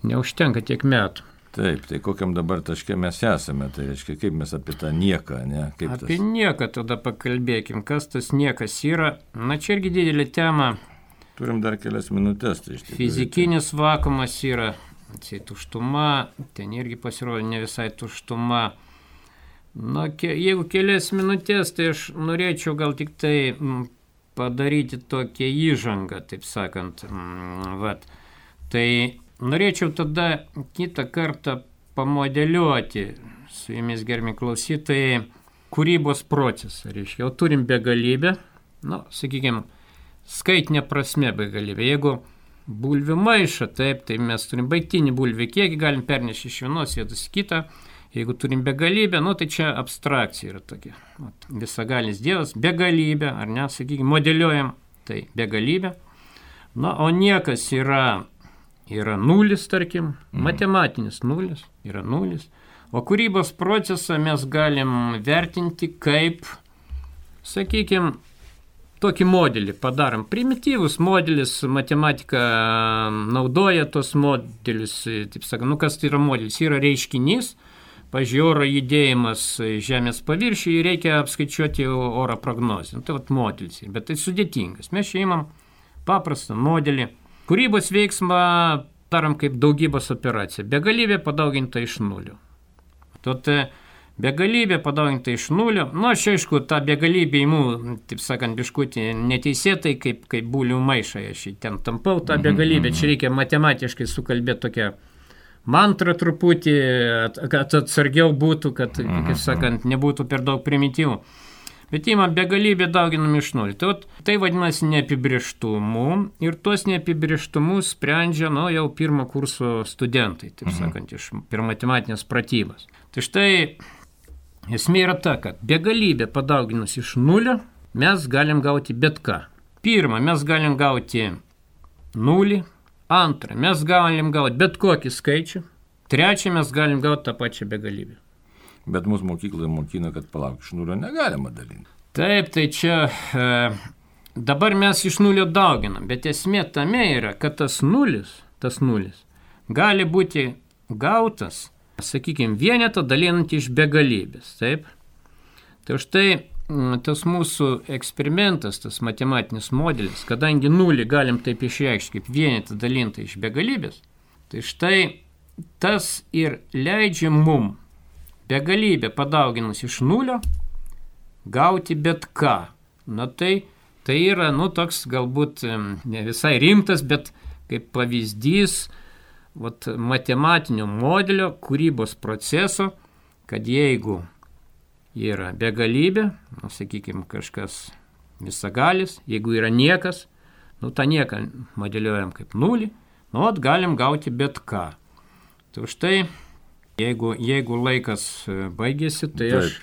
Neužtenka tiek metų. Taip, tai kokiam dabar taške mes esame, tai reiškia, kaip mes apie tą nieką, ne? Apie nieką tada pakalbėkim, kas tas niekas yra. Čia irgi didelė tema. Turim dar kelias minutės. Tai fizikinis vakuumas yra, tuštuma, ten irgi pasirodo ne visai tuštuma. Jeigu kelias minutės, tai aš norėčiau gal tik tai padaryti tokią įžangą, taip sakant. Tai norėčiau tada kitą kartą pamodeliuoti su jumis, gerbiami klausytojai, kūrybos procesą, reiškia, jau turim begalybę, sakykime, skaitinė prasme begalybė. Jeigu bulvių maišą, taip, tai mes turim baigtinį bulvių kiekį, galim pernešti iš vienos vietos į kitą. Jeigu turim begalybę, tai čia abstrakcija yra tokia. Visagalis Dievas, begalybė, ar ne, sakykime, modeliuojam, tai begalybė. O niekas yra nulis, tarkim, matematinis nulis, yra nulis. O kūrybos procesą mes galim vertinti kaip, sakykime, tokį modelį padarom. Primityvus modelis, matematika naudoja tos modelius, taip sakant, kas tai yra modelis? Yra reiškinys, pavyzdžiui, oro judėjimas Žemės paviršiuje, reikia apskaičiuoti oro prognozę. Tai modelis, bet tai sudėtingas. Mes čia imam paprastą modelį. Kūrybos veiksmą darom kaip daugybos operaciją. Begalybė padauginta iš nulio. Tad begalybė padauginta iš nulio. Aš aišku, tą begalybę įimu, taip sakant, biškutį neteisėtai, kaip bulių maišą. Aš ten tampau tą begalybę. Čia reikia matematiškai sukalbėti tokią mantrą truputį, kad atsargiau būtų, kad, kaip sakant, nebūtų per daug primityvų. Bet įmam begalybę dauginam iš nulio. Tai vadinasi neapibrėžtumu ir tuos neapibrėžtumus sprendžia jau pirmo kurso studentai, taip sakant, per matematinės pratybas. Tai štai esmė yra ta, kad begalybę padauginus iš nulio mes galim gauti bet ką. Pirma, mes galim gauti nulį. Antra, mes galim gauti bet kokį skaičių. Trečia, mes galim gauti tą pačią begalybę. Bet mūsų mokykloje mokina, kad iš nulio negalima dalinti. Taip, tai čia dabar mes iš nulio dauginam, bet esmė tame yra, kad tas nulis gali būti gautas, sakykime, vienetą dalinant iš begalybės. Taip? Tai štai tas mūsų eksperimentas, tas matematinis modelis, kadangi nulį galim taip išreikšti kaip vienetą dalintą iš begalybės, tai štai tas ir leidžia mum begalybę padauginus iš nulio gauti bet ką. Tai yra, toks galbūt ne visai rimtas, bet kaip pavyzdys matematinio modelio kūrybos proceso, kad jeigu yra begalybė, sakykime, kažkas visagalis, jeigu yra niekas, tą nieką modeliuojam kaip nulį, galim gauti bet ką. Tai štai Jeigu laikas baigėsi, tai aš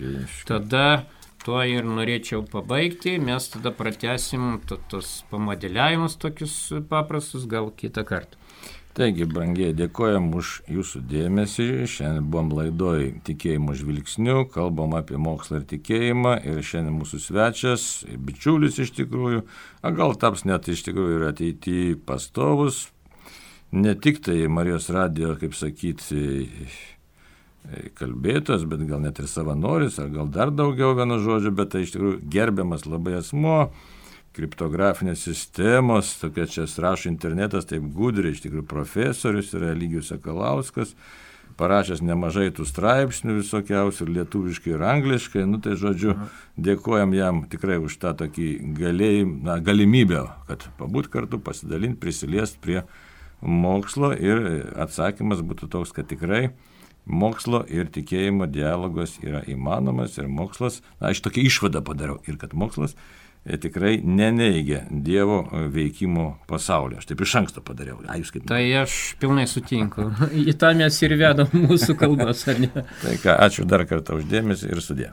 tada tuo ir norėčiau pabaigti, mes tada pratęsim tos pamodeliavimus tokius paprastus, gal kitą kartą. Taigi, brangiai, dėkojam už jūsų dėmesį. Šiandien buvom laidoj Tikėjimo žvilgsniu, kalbam apie mokslą ir tikėjimą ir šiandien mūsų svečias, bičiulis iš tikrųjų, gal taps net iš tikrųjų ir ateityje pastovus. Ne tik tai Marijos radijo, kaip sakyti, kalbėtas, bet gal net ir savanoris, ar gal dar daugiau vieno žodžio, bet tai iš tikrųjų gerbiamas labai asmuo, kriptografinės sistemos, tokia čia rašo internetas, taip gudriai, iš tikrųjų profesorius yra Eligijus Sakalauskas, parašęs nemažai tų straipsnių visokiausių, ir lietuviškai, ir angliškai, tai žodžiu, dėkojam jam tikrai už tą tokį galimybę, kad pabūt kartu, pasidalinti, prisiliest prie mokslo ir atsakymas būtų toks, kad tikrai mokslo ir tikėjimo dialogas yra įmanomas ir mokslas, aš tokią išvadą padariau ir kad mokslas tikrai neneigia Dievo veikimo pasaulio. Aš taip iš anksto padariau. Tai aš pilnai sutinku. Į tą mes ir vedam mūsų kalbas, ar ne? Tai ką, ačiū dar kartą už dėmesį ir sudie.